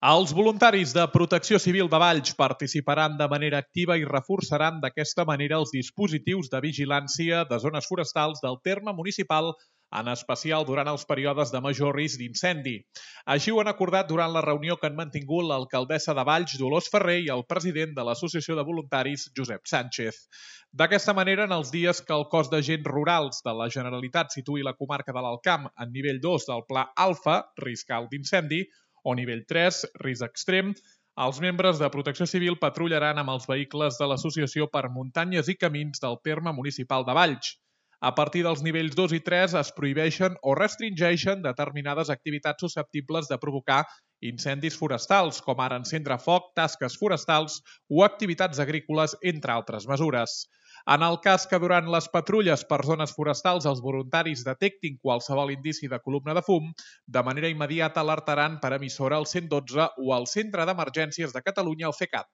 Els voluntaris de Protecció Civil de Valls participaran de manera activa i reforçaran d'aquesta manera els dispositius de vigilància de zones forestals del terme municipal, en especial durant els períodes de major risc d'incendi. Així ho han acordat durant la reunió que han mantingut l'alcaldessa de Valls, Dolors Ferrer, i el president de l'Associació de Voluntaris, Josep Sánchez. D'aquesta manera, en els dies que el cos d'agents rurals de la Generalitat situï la comarca de l'Alt Camp en nivell 2 del Pla Alfa, risc alt d'incendi, o nivell 3, risc extrem, els membres de Protecció Civil patrullaran amb els vehicles de l'associació per muntanyes i camins del terme municipal de Valls. A partir dels nivells 2 i 3 es prohibeixen o restringeixen determinades activitats susceptibles de provocar incendis forestals, com ara encendre foc, tasques forestals o activitats agrícoles, entre altres mesures. En el cas que durant les patrulles per zones forestals els voluntaris detectin qualsevol indici de columna de fum, de manera immediata alertaran per emissora al 112 o al Centre d'Emergències de Catalunya, el CECAT.